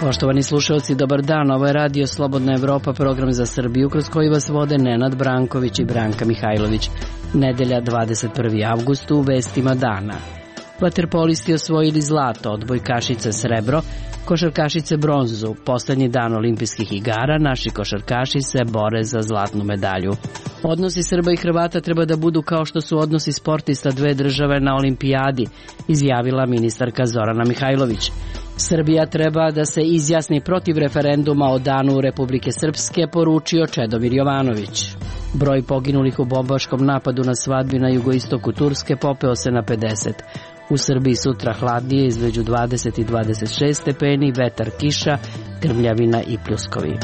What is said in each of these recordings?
Poštovani slušalci, dobar dan. Ovo je Radio Slobodna Evropa, program za Srbiju, kroz koji vas vode Nenad Branković i Branka Mihajlović. Nedelja, 21. avgust, u vestima dana. Vaterpolisti osvojili zlato, odbojkašice srebro, košarkašice bronzu. Poslednji dan olimpijskih igara, naši košarkaši se bore za zlatnu medalju. Odnosi Srba i Hrvata treba da budu kao što su odnosi sportista dve države na olimpijadi, izjavila ministarka Zorana Mihajlović. Srbija treba da se izjasni protiv referenduma o danu Republike Srpske, poručio Čedomir Jovanović. Broj poginulih u bombaškom napadu na svadbi na jugoistoku Turske popeo se na 50. U Srbiji sutra hladnije, između 20 i 26 stepeni, vetar, kiša, grmljavina i pljuskovi.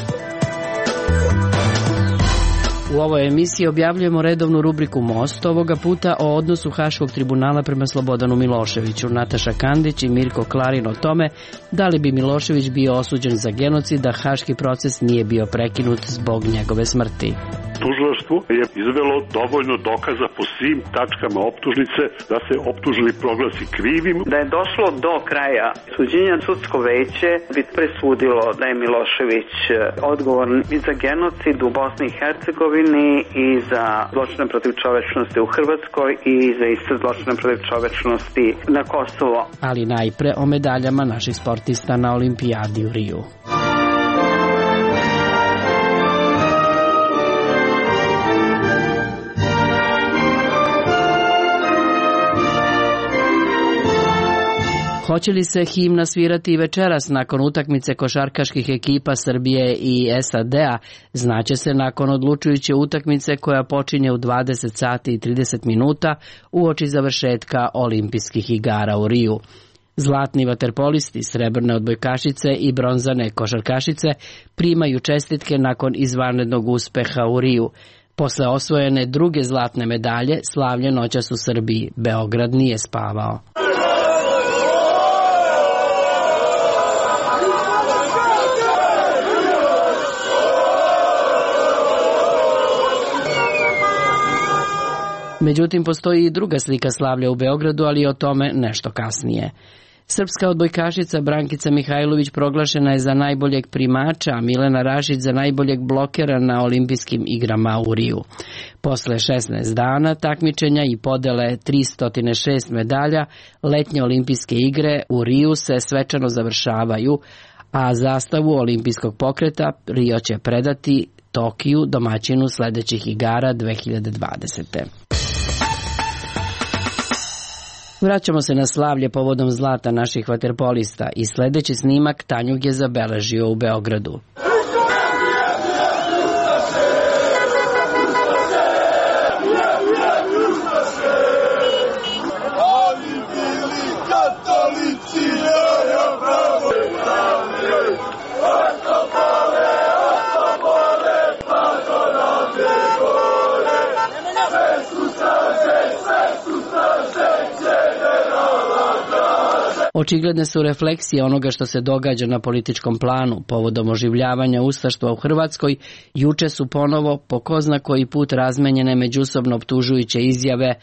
U ovoj emisiji objavljujemo redovnu rubriku Most, ovoga puta o odnosu Haškog tribunala prema Slobodanu Miloševiću. Nataša Kandić i Mirko Klarin o tome da li bi Milošević bio osuđen za genocid da haški proces nije bio prekinut zbog njegove smrti. Tužilaštvo je izvelo dovoljno dokaza po svim tačkama optužnice da se optuženi proglasi krivim. Da je došlo do kraja suđenja, sudsko veće bi presudilo da je Milošević odgovoran i za genocid u Bosni i Hercegovini i za zločine protiv čovečnosti u Hrvatskoj i za iste zločine protiv čovečnosti na Kosovo. Ali najpre o medaljama naših sportista na olimpijadi u Riju. Hoće li se himna svirati i večeras nakon utakmice košarkaških ekipa Srbije i SAD-a, znaće se nakon odlučujuće utakmice koja počinje u 20 sati i 30 minuta uoči završetka olimpijskih igara u Riju. Zlatni vaterpolisti, srebrne odbojkašice i bronzane košarkašice primaju čestitke nakon izvanrednog uspeha u Riju. Posle osvojene druge zlatne medalje, slavlje noćas u Srbiji. Beograd nije spavao. Međutim, postoji i druga slika slavlja u Beogradu, ali o tome nešto kasnije. Srpska odbojkašica Brankica Mihajlović proglašena je za najboljeg primača, a Milena Rašić za najboljeg blokera na olimpijskim igrama u Riju. Posle 16 dana takmičenja i podele 306 medalja, letnje olimpijske igre u Riju se svečano završavaju, a zastavu olimpijskog pokreta Rio će predati Tokiju, domaćinu sledećih igara 2020. Vraćamo se na slavlje povodom zlata naših vaterpolista i sledeći snimak Tanjug je zabeležio u Beogradu. Očigledne su refleksije onoga što se događa na političkom planu. Povodom oživljavanja ustaštva u Hrvatskoj, juče su ponovo po ko zna koji put razmenjene međusobno optužujuće izjave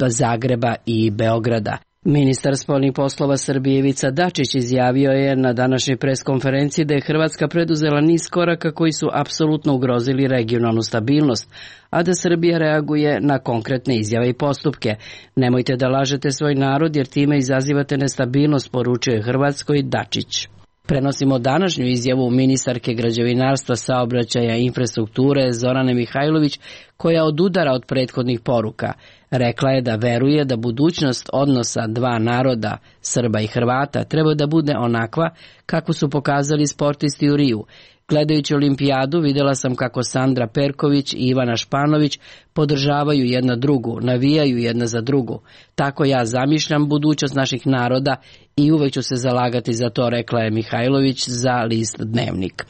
Zagreba i Beograda. Ministar spoljnih poslova Srbije Ivica Dačić izjavio je na današnjoj preskonferenciji da je Hrvatska preduzela niz koraka koji su apsolutno ugrozili regionalnu stabilnost, a da Srbija reaguje na konkretne izjave i postupke. Nemojte da lažete svoj narod jer time izazivate nestabilnost, poručio je Hrvatskoj Dačić. Prenosimo današnju izjavu ministarke građevinarstva, saobraćaja i infrastrukture Zorane Mihajlović, koja odudara od prethodnih poruka. Rekla je da veruje da budućnost odnosa dva naroda, Srba i Hrvata, treba da bude onakva kako su pokazali sportisti u Riju. Gledajući olimpijadu videla sam kako Sandra Perković i Ivana Španović podržavaju jedna drugu, navijaju jedna za drugu. Tako ja zamišljam budućnost naših naroda i uvek ću se zalagati za to, rekla je Mihajlović za list Dnevnik.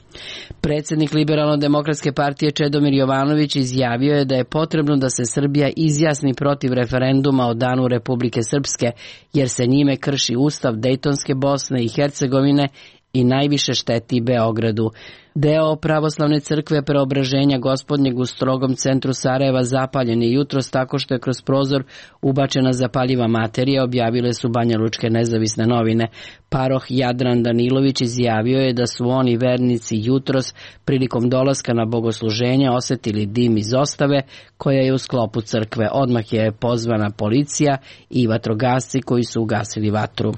Predsjednik Liberalno-demokratske partije Čedomir Jovanović izjavio je da je potrebno da se Srbija izjasni protiv referenduma o danu Republike Srpske, jer se njime krši ustav Dejtonske Bosne i Hercegovine i najviše šteti Beogradu. Deo pravoslavne crkve Preobraženja Gospodnjeg u strogom centru Sarajeva zapaljen je jutros tako što je kroz prozor ubačena zapaljiva materija, objavile su banjalučke nezavisne novine. Paroh Jadran Danilović izjavio je da su oni vernici jutros prilikom dolaska na bogosluženje osetili dim iz ostave koja je u sklopu crkve. Odmah je pozvana policija i vatrogasci koji su ugasili vatru.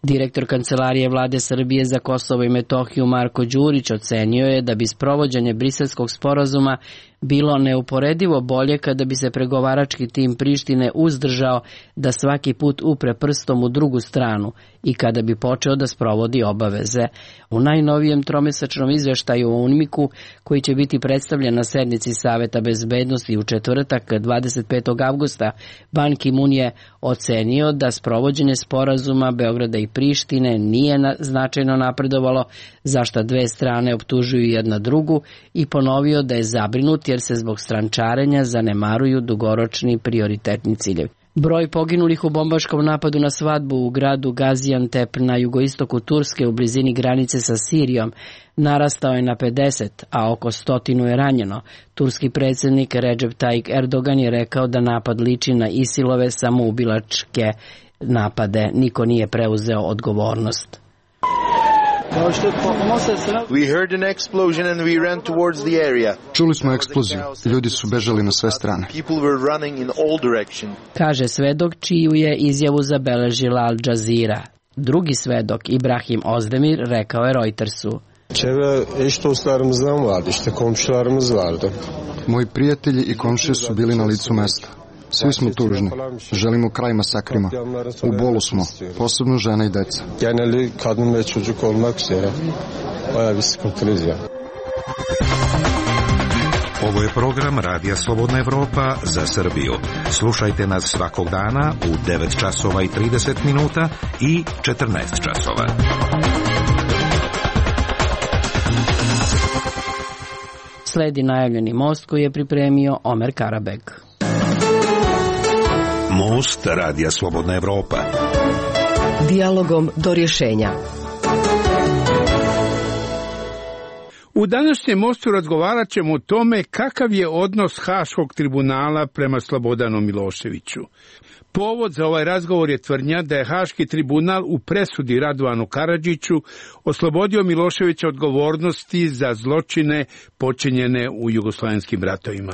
Direktor Kancelarije Vlade Srbije za Kosovo i Metohiju Marko Đurić ocenio je da bi sprovođenje Briselskog sporazuma bilo neuporedivo bolje kada bi se pregovarački tim Prištine uzdržao da svaki put upre prstom u drugu stranu i kada bi počeo da sprovodi obaveze. U najnovijem tromesečnom izveštaju o UNMIK-u, koji će biti predstavljen na sednici Saveta bezbednosti u četvrtak 25. avgusta, Ban Ki-mun je ocenio da sprovođenje sporazuma Beograda i Prištine nije značajno napredovalo, za šta dve strane optužuju jedna drugu, i ponovio da je zabrinut jer se zbog strančarenja zanemaruju dugoročni prioritetni ciljevi. Broj poginulih u bombaškom napadu na svadbu u gradu Gaziantep na jugoistoku Turske u blizini granice sa Sirijom narastao je na 50, a oko 100 je ranjeno. Turski predsjednik Recep Tayyip Erdogan je rekao da napad liči na ISIL-ove samoubilačke napade. Niko nije preuzeo odgovornost. Čuli smo eksploziju. Ljudi su bežali na sve strane. Kaže svedok čiju je izjavu zabeležila Al Jazeera. Drugi svedok, Ibrahim Ozdemir, rekao je Reutersu. Moji prijatelji i komšije su bili na licu mesta. Svi smo tužni. Želimo kraj masakrima. U bolu smo, posebno žena i deca. Ovo je program Radija Slobodna Evropa za Srbiju. Slušajte nas svakog dana u 9 časova i 30 minuta i 14 časova. Sledi najavljeni most koji je pripremio Omer Karabeg. Most Radija Slobodna Evropa. Dijalogom do rješenja. U današnjem mostu razgovarat ćemo o tome kakav je odnos Haškog tribunala prema Slobodanu Miloševiću. Povod za ovaj razgovor je tvrdnja da je Haški tribunal u presudi Radovanu Karadžiću oslobodio Miloševića odgovornosti za zločine počinjene u jugoslovenskim ratovima.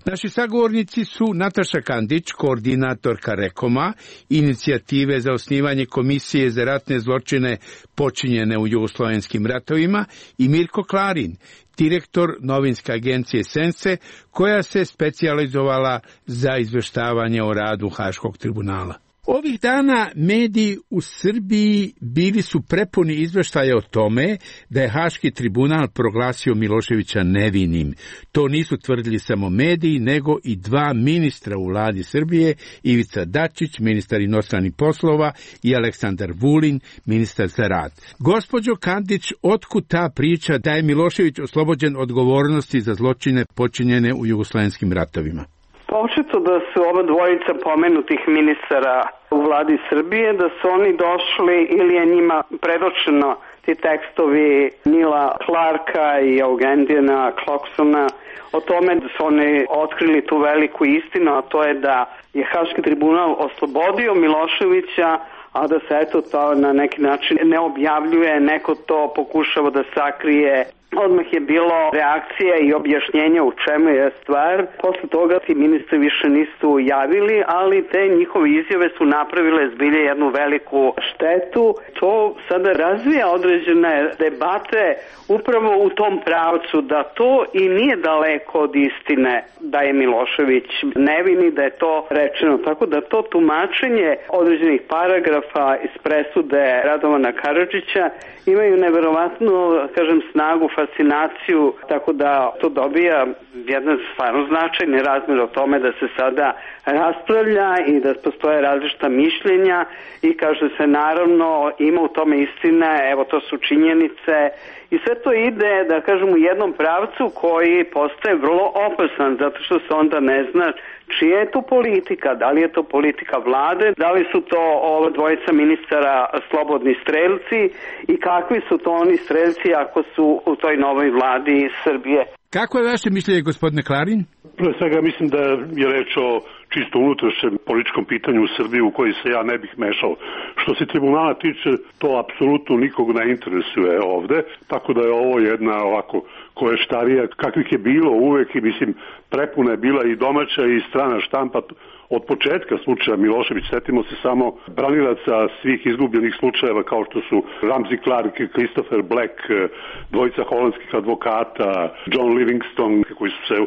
Naši sagovornici su Nataša Kandić, koordinatorka Rekoma, inicijative za osnivanje Komisije za ratne zločine počinjene u jugoslovenskim ratovima, i Mirko Klarin, direktor novinske agencije Sense, koja se specijalizovala za izveštavanje o radu Haškog tribunala. Ovih dana mediji u Srbiji bili su prepuni izveštaja o tome da je Haški tribunal proglasio Miloševića nevinim. To nisu tvrdili samo mediji, nego i dva ministra u vladi Srbije, Ivica Dačić, ministar inostranih poslova, i Aleksandar Vulin, ministar za rad. Gospođo Kandić, otkud ta priča da je Milošević oslobođen odgovornosti za zločine počinjene u jugoslovenskim ratovima? Očito da su ova dvojica pomenutih ministara u vladi Srbije, da su oni došli ili je njima predočeno ti tekstovi Nila Clarka i Eugendijana Kloksona o tome da su oni otkrili tu veliku istinu, a to je da je Haški tribunal oslobodio Miloševića, a da se eto to na neki način ne objavljuje, neko to pokušava da sakrije. Odmah je bilo reakcija i objašnjenja u čemu je stvar. Posle toga ti ministri više nisu javili, ali te njihove izjave su napravile zbilje jednu veliku štetu. To sada razvija određene debate upravo u tom pravcu da to i nije daleko od istine da je Milošević nevini, da je to rečeno. Tako da to tumačenje određenih paragrafa iz presude Radovana Karadžića imaju neverovatnu, kažem, snagu, fascinaciju, tako da to dobija jedan stvarno značajni razmjer o tome da se sada raspravlja i da postoje različita mišljenja i kaže se naravno ima u tome istine, evo to su činjenice i sve to ide, da kažem, u jednom pravcu koji postaje vrlo opasan, zato što se onda ne zna čija je to politika? Da li je to politika vlade? Da li su to ova dvojica ministara slobodni strelci? I kakvi su to oni strelci ako su u toj novoj vladi Srbije? Kako je vaše mišljenje, gospodine Klarin? Pre svega mislim da je reč o čisto unutrašnjem političkom pitanju u Srbiji u koji se ja ne bih mešao. Što se tribunala tiče, to apsolutno nikog ne interesuje ovde, tako da je ovo jedna ovako koještarija kakvih je bilo uvek i mislim prepuna je bila i domaća i strana štampa od početka slučaja Milošević. Setimo se samo branilaca svih izgubljenih slučajeva kao što su Ramsey Clark, Christopher Black, dvojica holandskih advokata, John Livingston, koji su se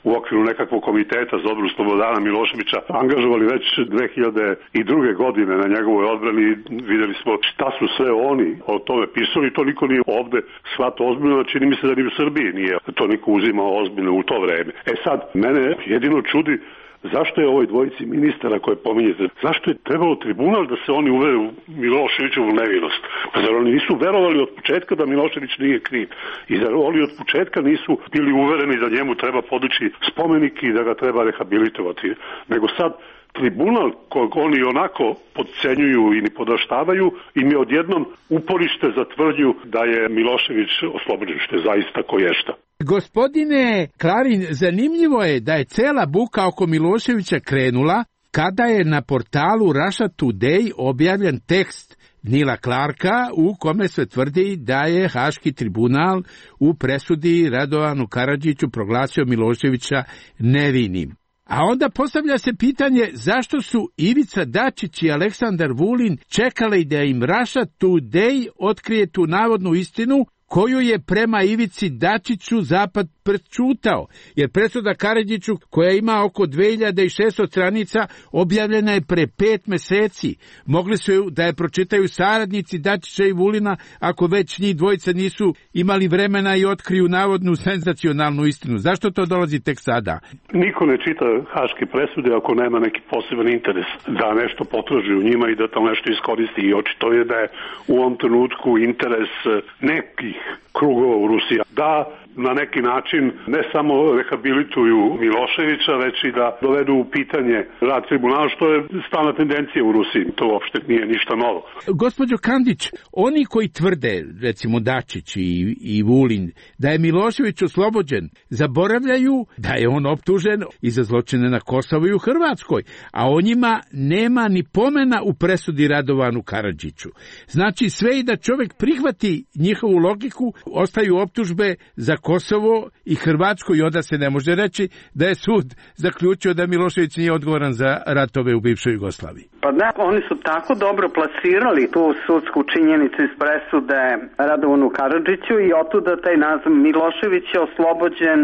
u okviru nekakvog komiteta za odbranu Slobodana Miloševića angažovali već 2002. godine na njegovoj odbrani. Videli smo šta su sve oni o tome pisali, to niko nije ovde shvatao ozbiljno, čini mi se da ni u Srbiji nije to niko uzimao ozbiljno u to vreme. Sad, mene jedino čudi zašto je ovoj dvojici ministara koje pominjete, zašto je trebalo tribunal da se oni uvere u Miloševićevu nevinost? Pa zar oni nisu verovali od početka da Milošević nije kriv? I zar oni od početka nisu bili uvereni da njemu treba podići spomenik i da ga treba rehabilitovati? Nego sad tribunal kojeg oni onako podcenjuju i ni podaštavaju im je odjednom uporište za tvrdnju da je Milošević oslobođen, što je zaista koješta. Gospodine Klarin, zanimljivo je da je cela buka oko Miloševića krenula kada je na portalu Russia Today objavljen tekst Nila Clarka u kome se tvrdi da je Haški tribunal u presudi Radovanu Karadžiću proglasio Miloševića nevinim. A onda postavlja se pitanje zašto su Ivica Dačić i Aleksandar Vulin čekali da im Russia Today otkrije tu navodnu istinu koju je prema Ivici Dačiću Zapad prećutao, jer presuda Karadžiću, koja ima oko 2600 stranica, objavljena je pre 5 meseci. Mogli su da je pročitaju saradnici Dačića i Vulina, ako već njih dvojica nisu imali vremena i otkriju navodnu senzacionalnu istinu. Zašto to dolazi tek sada? Niko ne čita haške presude ako nema neki poseban interes da nešto potraži u njima i da to nešto iskoristi. I očito je da je u ovom trenutku interes nekih krugova u Rusiji da na neki način ne samo rehabilituju Miloševića, već i da dovedu u pitanje rad tribunala, što je stalna tendencija u Rusiji. To uopšte nije ništa novo. Gospođo Kandić, oni koji tvrde, recimo Dačić i Vulin, da je Milošević oslobođen, zaboravljaju da je on optužen i za zločine na Kosovu i u Hrvatskoj, a o njima nema ni pomena u presudi Radovanu Karadžiću. Znači, sve i da čovjek prihvati njihovu logiku, ostaju optužbe za Kosovo i Hrvatsku i onda se ne može reći da je sud zaključio da Milošević nije odgovoran za ratove u bivšoj Jugoslaviji. Pa da, oni su tako dobro plasirali tu sudsku činjenicu iz presude Radovanu Karadžiću i otuda taj naziv Milošević je oslobođen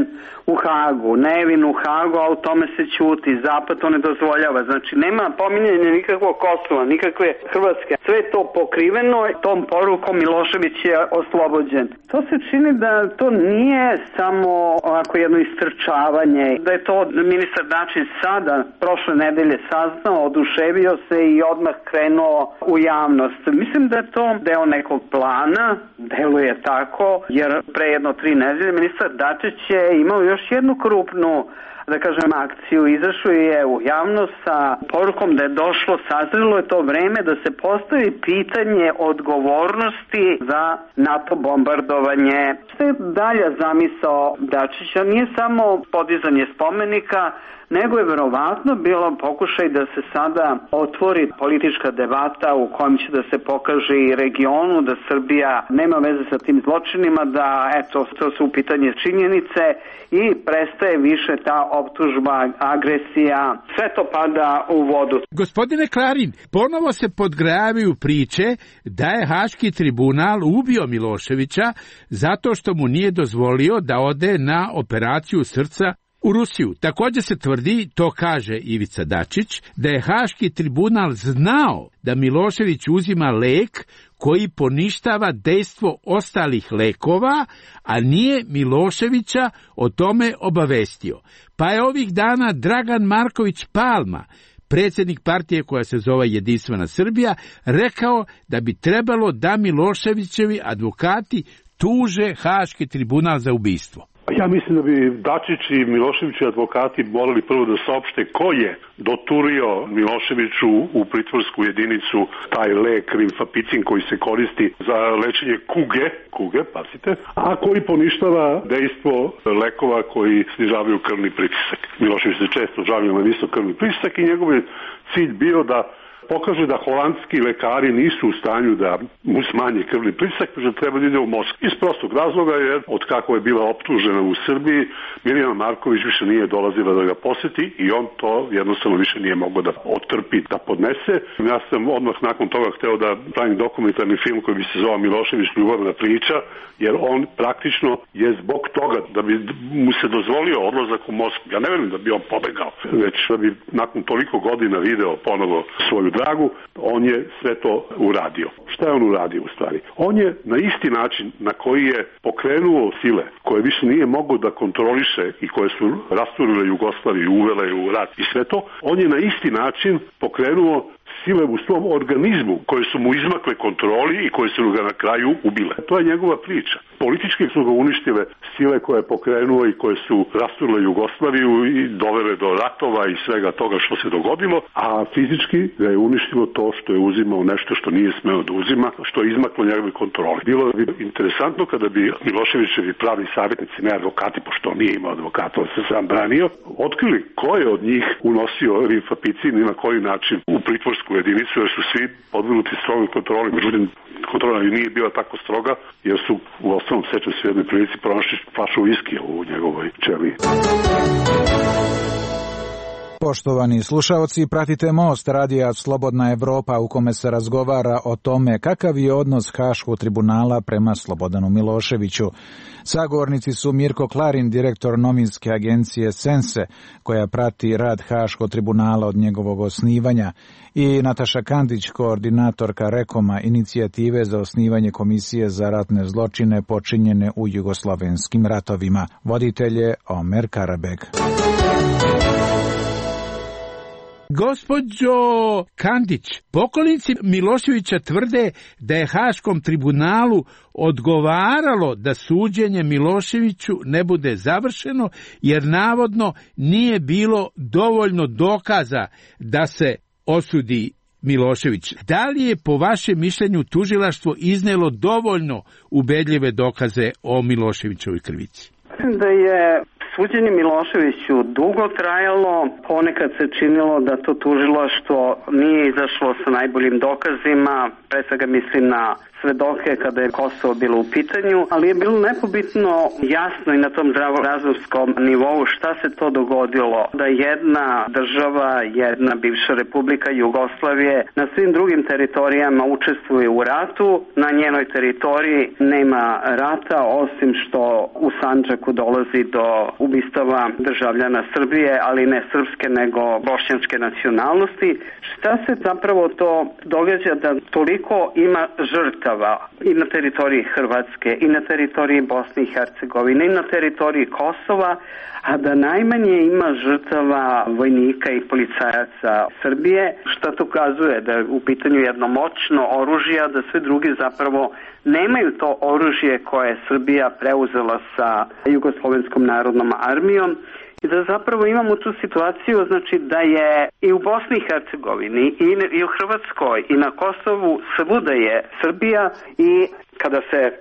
u Hagu, nevin u Hagu, a u tome se ćuti, Zapad to ne dozvoljava. Znači nema pominjanja nikakvog Kosova, nikakve Hrvatske. Sve je to pokriveno tom porukom Milošević je oslobođen. To se čini da to nije samo ovako jedno istrčavanje, da je to ministar Dačić sada prošle nedelje saznao, oduševio se i odmah krenuo u javnost. Mislim da je to deo nekog plana, deluje tako, jer pre 1-3 nedelje ministar Dačić je imao još jednu krupnu, da kažem, akciju. Izašao je u javnost sa porukom da je došlo, sazrelo je to vreme da se postavi pitanje odgovornosti za NATO bombardovanje. Što je dalja zamisao Dačića? Nije samo podizanje spomenika, nego je verovatno bilo pokušaj da se sada otvori politička debata u kojem će da se pokaže i regionu da Srbija nema veze sa tim zločinima, da eto, to su u pitanje činjenice i prestaje više ta optužba, agresija, sve to pada u vodu. Gospodine Klarin, ponovo se podgravaju priče da je Haški tribunal ubio Miloševića zato što mu nije dozvolio da ode na operaciju srca u Rusiju. Također se tvrdi, to kaže Ivica Dačić, da je Haški tribunal znao da Milošević uzima lek koji poništava dejstvo ostalih lekova, a nije Miloševića o tome obavestio. Pa je ovih dana Dragan Marković Palma, predsjednik partije koja se zove Jedinstvena Srbija, rekao da bi trebalo da Miloševićevi advokati tuže Haški tribunal za ubistvo. Ja mislim da bi Dačić i Miloševićevi advokati morali prvo da saopšte ko je doturio Miloševiću u pritvorsku jedinicu taj lek rimfapicin koji se koristi za lečenje kuge, pazite, a koji poništava dejstvo lekova koji snižavaju krvni pritisak. Milošević se često žalio na visok krvni pritisak i njegov je cilj bio da pokaže da holandski lekari nisu u stanju da mu smanje krvni pritisak, da treba da ide u Moskvu. Iz prostog razloga jer od kako je bila optužena u Srbiji, Mirjana Marković više nije dolazila da ga poseti i on to jednostavno više nije mogao da otrpi, da podnese. Ja sam odmah nakon toga hteo da pravim dokumentarni film koji bi se zvao Milošević ljubavna priča, jer on praktično je zbog toga da bi mu se dozvolio odlazak u Moskvu. Ja ne verujem da bi on pobegao, već da bi nakon toliko godina video ponovo svoju dragu, on je sve to uradio. Šta je on uradio u stvari? On je na isti način na koji je pokrenuo sile koje više nije mogao da kontroliše i koje su rasturile Jugoslaviju, uvele u rat i sve to, on je na isti način pokrenuo sile u svom organizmu koje su mu izmakle kontroli i koje su ga na kraju ubile. To je njegova priča. Politički su ga uništile sile koje je pokrenuo i koje su rasturile Jugoslaviju i dovele do ratova i svega toga što se dogodilo, a fizički ga je uništilo to što je uzimao nešto što nije smeo da uzima, što je izmaklo njegove kontroli. Bilo bi interesantno kada bi Miloševićevi pravi savjetnici, ne advokati, pošto on nije imao advokata, on se sam branio, otkrili ko je od njih unosio rimfapicin i na koji način u pritvorsku jedinicu, jer su svi podvrgnuti strogoj kontroli. Međutim, kontrola nije bila tako stroga, jer su u osnovnom sećam se u jednoj prilici pronašli flašu viskija u njegovoj ćeliji. Poštovani slušaoci, pratite Most radija Slobodna Evropa u kome se razgovara o tome kakav je odnos Haškog tribunala prema Slobodanu Miloševiću. Sagovornici su Mirko Klarin, direktor novinske agencije Sense, koja prati rad Haškog tribunala od njegovog osnivanja, i Nataša Kandić, koordinatorka Rekoma, inicijative za osnivanje Komisije za ratne zločine počinjene u jugoslovenskim ratovima. Voditelj je Omer Karabeg. Gospođo Kandić, pokolnici Miloševića tvrde da je Haškom tribunalu odgovaralo da suđenje Miloševiću ne bude završeno, jer navodno nije bilo dovoljno dokaza da se osudi Milošević. Da li je po vašem mišljenju tužilaštvo iznelo dovoljno ubedljive dokaze o Miloševićovoj krivici? Da je suđenje Miloševiću dugo trajalo, ponekad se činilo da to tužilaštvo nije izašlo sa najboljim dokazima, pre svega mislim na svedoke kada je Kosovo bilo u pitanju, ali je bilo nepobitno jasno i na tom zdravorazumskom nivou šta se to dogodilo, da jedna država, jedna bivša republika Jugoslavije na svim drugim teritorijama učestvuje u ratu, na njenoj teritoriji nema rata, osim što u Sandžaku dolazi do ubistava državljana Srbije, ali ne srpske nego bošnjačke nacionalnosti. Šta se zapravo to događa da toliko ima žrtava i na teritoriji Hrvatske, i na teritoriji Bosne i Hercegovine, i na teritoriji Kosova, a da najmanje ima žrtava vojnika i policajaca Srbije, što to ukazuje da je u pitanju jedno moćno oružje, a da sve drugi zapravo nemaju to oružje koje je Srbija preuzela sa Jugoslovenskom narodnom armijom. I da zapravo imamo tu situaciju, znači da je i u Bosni i Hercegovini i u Hrvatskoj i na Kosovu svuda je Srbija, i kada se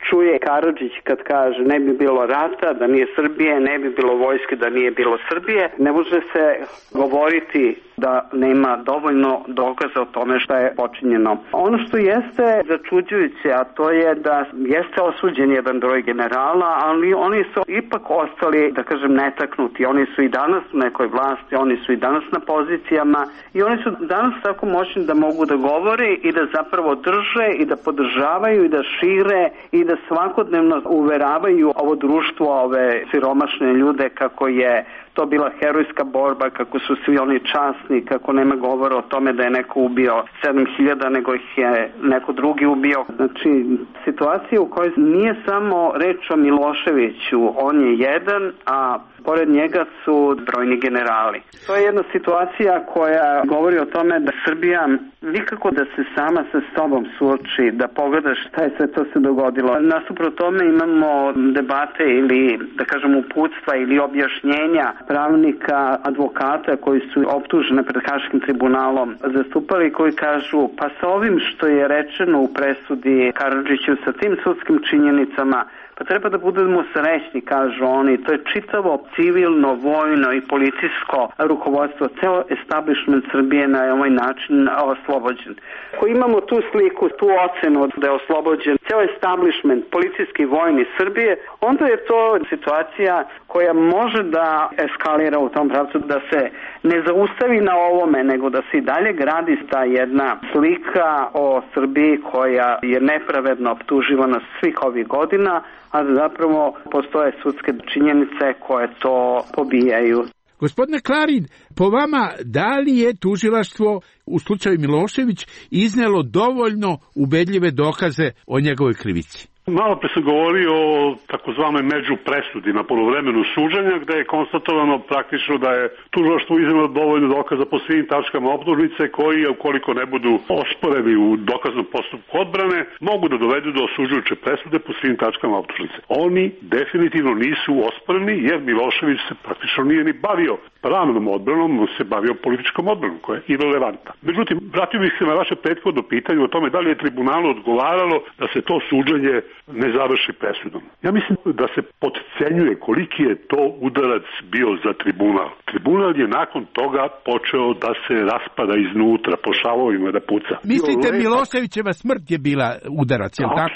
čuje Karadžić kad kaže ne bi bilo rata da nije Srbije, ne bi bilo vojske da nije bilo Srbije, ne može se govoriti da nema dovoljno dokaza o tome šta je počinjeno. Ono što jeste začuđujuće, a to je da jeste osuđen jedan broj generala, ali oni su ipak ostali, da kažem, netaknuti. Oni su i danas u nekoj vlasti, oni su i danas na pozicijama i oni su danas tako moćni da mogu da govore i da zapravo drže i da podržavaju i da šire i da svakodnevno uveravaju ovo društvo, ove siromašne ljude kako je to bila herojska borba, kako su svi oni časni jasni, kako nema govora o tome da je neko ubio 7000, nego ih je neko drugi ubio. Znači, situacija u kojoj nije samo reč o Miloševiću, on je jedan, a pored njega su brojni generali. To je jedna situacija koja govori o tome da Srbija nikako da se sama sa sobom suoči, da pogleda šta je sve to se dogodilo. Nasuprot tome imamo debate ili, da kažem, uputstva ili objašnjenja pravnika, advokata koji su optužene pred Haškim tribunalom zastupali, koji kažu pa sa ovim što je rečeno u presudi Karadžiću, sa tim sudskim činjenicama, pa treba da budemo srećni, kažu oni. To je čitavo civilno, vojno i policijsko rukovodstvo, ceo establishment Srbije na ovaj način oslobođen. Ako imamo tu sliku, tu ocenu da je oslobođen ceo establishment policijski vojni Srbije, onda je to situacija koja može da eskalira u tom pravcu, da se ne zaustavi na ovome, nego da se i dalje gradi ta jedna slika o Srbiji koja je nepravedno optuživana svih ovih godina, a zapravo postoje sudske činjenice koje to pobijaju. Gospodine Klarin, po vama, da li je tužilaštvo u slučaju Milošević iznelo dovoljno ubedljive dokaze o njegovoj krivici? Malo pre sam govorio o takozvanoj međupresudi na polovremenu suđenja, gde je konstatovano praktično da je tužilaštvo iznelo dovoljno dokaza po svim tačkama optužnice koji, ukoliko ne budu osporeni u dokaznom postupku odbrane, mogu da dovedu do osuđujuće presude po svim tačkama optužnice. Oni definitivno nisu osporeni jer Milošević se praktično nije ni bavio pravnom odbranom, on se bavio političkom odbranom koja je irelevantna. Međutim, vratio bih se na vaše prethodno pitanje o tome da li je tribunalu odgovaralo da se to suđenje ne završi presudom. Ja mislim da se potcenjuje koliki je to udarac bio za tribunal. Tribunal je nakon toga počeo da se raspada iznutra, po šavovima da puca. Mislite Miloševićeva smrt je bila udarac, je li tako?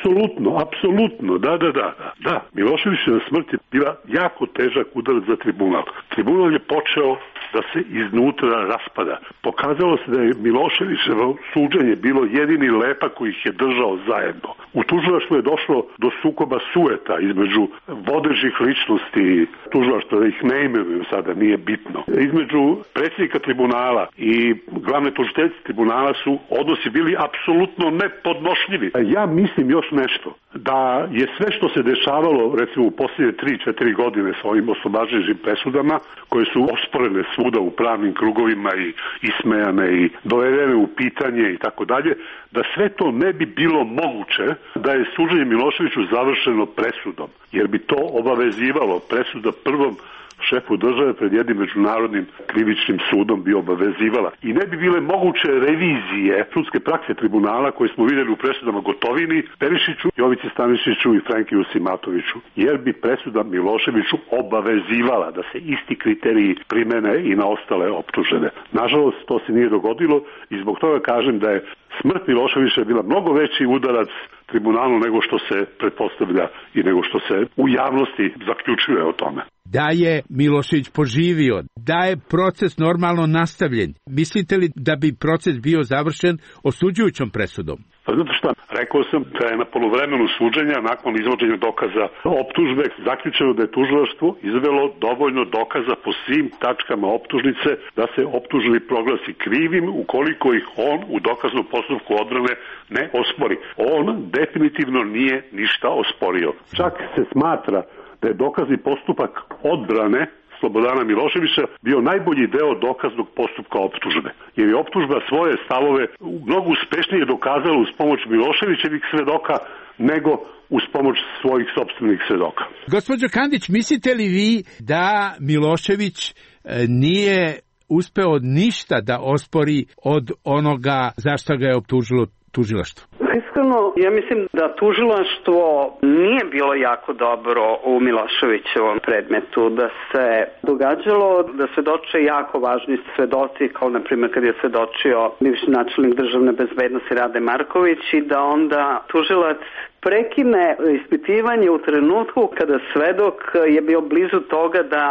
Apsolutno, da. Miloševićeva smrt je bila jako težak udarac za tribunal. Tribunal je počeo da se iznutra raspada. Pokazalo se da je Miloševićevo suđenje bilo jedini lepak koji ih je držao zajedno. U tužilaštvu je došlo do sukoba sueta između vodećih ličnosti tužilaštva, da ih ne imenujem sada, nije bitno. Između predsjednika tribunala i glavne tužiteljice tribunala su odnosi bili apsolutno nepodnošljivi. Ja mislim još nešto, da je sve što se dešavalo recimo u posljednje 3-4 godine s ovim oslobađajućim presudama, koje su osporene svuda u pravnim krugovima i ismejane i dovedene u pitanje i tako dalje, da sve to ne bi bilo moguće da je suđenje Miloševiću završeno presudom, jer bi to obavezivalo presuda prvom šefu države pred jednim međunarodnim krivičnim sudom bi obavezivala. I ne bi bile moguće revizije sudske prakse tribunala koje smo vidjeli u presudama Gotovini, Perišiću, Jovici Stanišiću i Frankiju Simatoviću, jer bi presuda Miloševiću obavezivala da se isti kriteriji primene i na ostale optužene. Nažalost, to se nije dogodilo i zbog toga kažem da je smrt Miloševića bila mnogo veći udarac tribunalu nego što se pretpostavlja i nego što se u javnosti zaključuje o tome. Da je Milošević poživio, da je proces normalno nastavljen, mislite li da bi proces bio završen osuđujućom presudom? Pa zato što rekao sam da je na polovremenu suđenja nakon izvođenja dokaza optužbe zaključeno da je tužilaštvo izvelo dovoljno dokaza po svim tačkama optužnice da se optuženi proglasi krivim ukoliko ih on u dokaznom postupku odbrane ne ospori. On definitivno nije ništa osporio. Čak se smatra da je dokazni postupak odbrane Slobodana Miloševića bio najbolji deo dokaznog postupka optužbe. Jer je optužba svoje stavove mnogo uspešnije dokazala uz pomoć Miloševićevih svedoka nego uz pomoć svojih sopstvenih svedoka. Gospođo Kandić, mislite li vi da Milošević nije uspeo ništa da ospori od onoga za što ga je optužilo tužilaštvo? Iskreno, ja mislim da tužilaštvo nije bilo jako dobro u Miloševićevom predmetu, da se događalo da svedoče jako važni svedoci, kao na primjer kad je svedočio bivši načelnik državne bezbednosti Rade Marković i da onda tužilac prekine ispitivanje u trenutku kada svedok je bio blizu toga da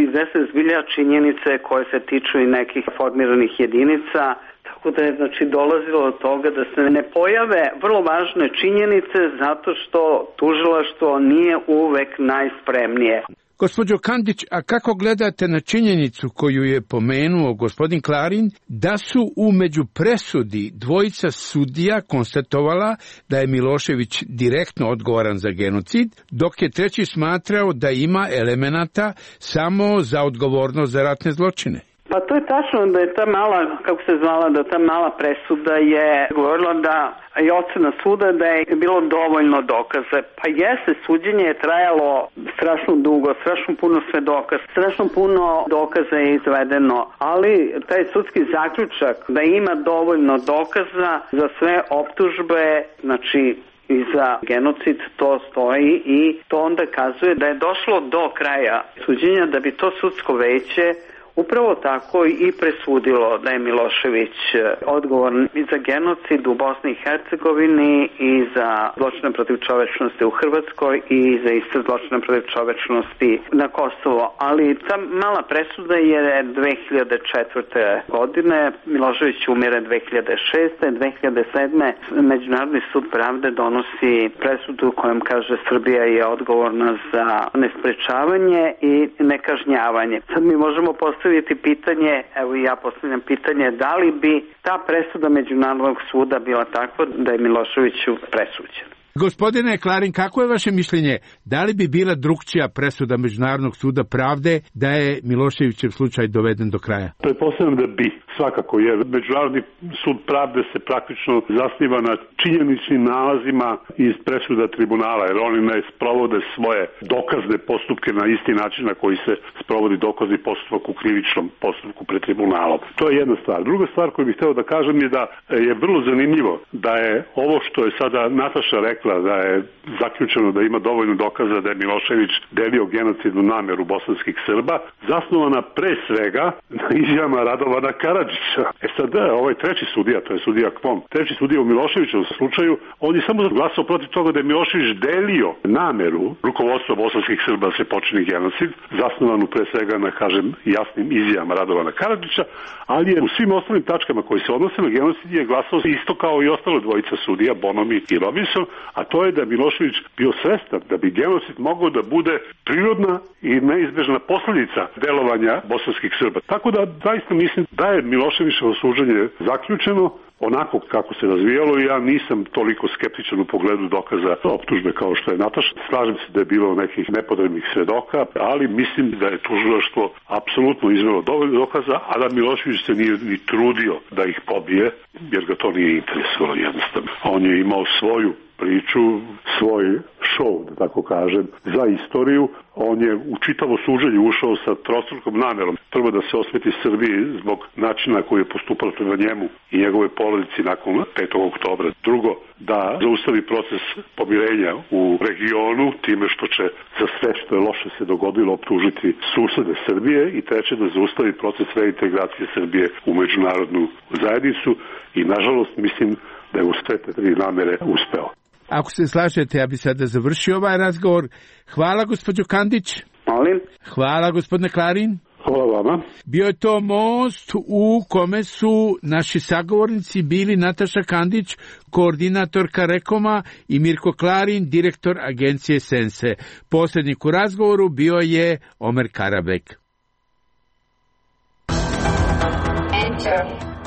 iznese zbilja činjenice koje se tiču i nekih formiranih jedinica. Tako da je dolazilo od toga da se ne pojave vrlo važne činjenice zato što tužilaštvo nije uvek najspremnije. Gospođo Kandić, a kako gledate na činjenicu koju je pomenuo gospodin Klarin, da su u međupresudi dvojica sudija konstatovala da je Milošević direktno odgovoran za genocid, dok je treći smatrao da ima elemenata samo za odgovornost za ratne zločine? Pa to je tačno da je ta mala, kako se zvala, da ta mala presuda je govorila da i ocena suda da je bilo dovoljno dokaza. Pa jeste, suđenje je trajalo strašno dugo, strašno puno svedoka, strašno puno dokaza je izvedeno, ali taj sudski zaključak da ima dovoljno dokaza za sve optužbe, znači i za genocid, to stoji i to onda kazuje da je došlo do kraja suđenja da bi to sudsko veće upravo tako i presudilo da je Milošević odgovoran i za genocid u Bosni i Hercegovini i za zločine protiv čovečnosti u Hrvatskoj i za iste zločine protiv čovečnosti na Kosovo. Ali ta mala presuda je 2004. godine, Milošević umire 2006. 2007. Međunarodni sud pravde donosi presudu kojom kaže Srbija je odgovorna za nesprečavanje i nekažnjavanje. Sad mi možemo postaviti pitanje, evo i ja postavljam pitanje, da li bi ta presuda Međunarodnog suda bila takva da je Miloševiću presuđen? Gospodine Klarin, kako je vaše mišljenje? Da li bi bila drukčija presuda Međunarodnog suda pravde da je Miloševićev slučaj doveden do kraja? Pretpostavljam da bi, svakako, jer Međunarodni sud pravde se praktično zasniva na činjeničnim nalazima iz presuda tribunala, jer oni ne sprovode svoje dokazne postupke na isti način na koji se sprovodi dokazni postupak u krivičnom postupku pred tribunalom. To je jedna stvar. Druga stvar koju bih hteo da kažem je da je vrlo zanimljivo da je ovo što je sada Nataša rekla, da je zaključeno da ima dovoljno dokaza da je Milošević delio genocidnu nameru bosanskih Srba, zasnovana pre svega na izjavama Radovana Karadžića. Sad ovaj treći sudija, to je sudija Kvon, treći sudija u Miloševićevom slučaju, on je samo glasao protiv toga da je Milošević delio nameru rukovodstva bosanskih Srba da se počini genocid, zasnovanu pre svega na, kažem, jasnim izjavama Radovana Karadžića, ali je u svim ostalim tačkama koji se odnose na genocid je glasao isto kao i ostalo dvojica sudija, Bonomi i Robinson, a to je da je Milošević bio svestan da bi genocid mogao da bude prirodna i neizbežna posljedica delovanja bosanskih Srba. Tako da zaista mislim da je Miloševićevo suđenje zaključeno onako kako se razvijalo i ja nisam toliko skeptičan u pogledu dokaza optužbe kao što je Nataša. Slažem se da je bilo nekih nepotrebnih svedoka, ali mislim da je tužilaštvo apsolutno izvelo dovoljno dokaza, a da Milošević se nije ni trudio da ih pobije, jer ga to nije interesovalo jednostavno. On je imao svoju priču, svoj show, da tako kažem, za istoriju. On je u čitavo suđenje ušao sa trostrukom namerom. Prvo da se osveti Srbiji zbog načina koji je postupalo prema njemu i njegove porodici nakon 5. oktobra. Drugo, da zaustavi proces pomirenja u regionu time što će za sve što je loše se dogodilo optužiti susede Srbije i treće da zaustavi proces reintegracije Srbije u međunarodnu zajednicu i nažalost mislim da je u sve te tri namere uspeo. Ako se slažete, ja bi sada završio ovaj razgovor. Hvala, gospođo Kandić. Molim. Hvala, gospodine Klarin. Hvala vama. Bio je to most u kome su naši sagovornici bili Nataša Kandić, koordinatorka Rekoma, i Mirko Klarin, direktor agencije Sense. Posrednik u razgovoru bio je Omer Karabek.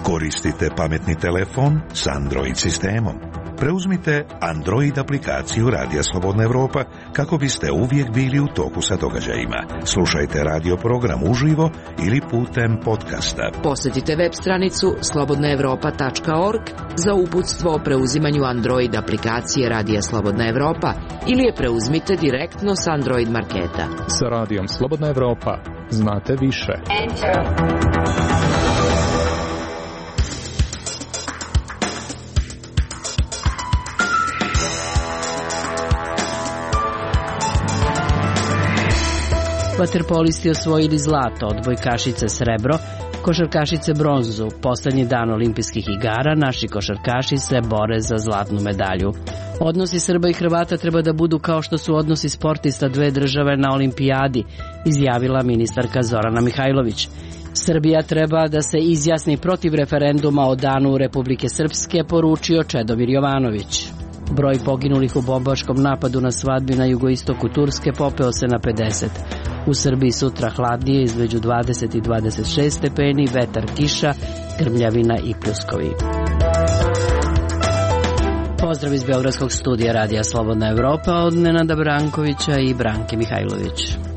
Koristite pametni telefon s Android sistemom. Preuzmite Android aplikaciju Radija Slobodna Evropa kako biste uvijek bili u toku sa događajima. Slušajte radio program uživo ili putem podcasta. Posjetite web stranicu slobodnaevropa.org za uputstvo o preuzimanju Android aplikacije Radija Slobodna Evropa ili je preuzmite direktno s Android marketa. Sa Radijom Slobodna Evropa znate više. Vaterpolisti osvojili zlato, odbojkašice srebro, košarkašice bronzu. Poslednji dan olimpijskih igara naši košarkaši se bore za zlatnu medalju. Odnosi Srba i Hrvata treba da budu kao što su odnosi sportista dve države na olimpijadi, izjavila ministarka Zorana Mihajlović. Srbija treba da se izjasni protiv referenduma o danu Republike Srpske, poručio Čedomir Jovanović. Broj poginulih u bombaškom napadu na svadbi na jugoistoku Turske popeo se na 50. U Srbiji sutra hladnije između 20 i 26 stepeni, vetar, kiša, grmljavina i pljuskovi. Pozdrav iz Beogradskog studija Radija Slobodna Evropa od Nenada Brankovića i Branke Mihajlović.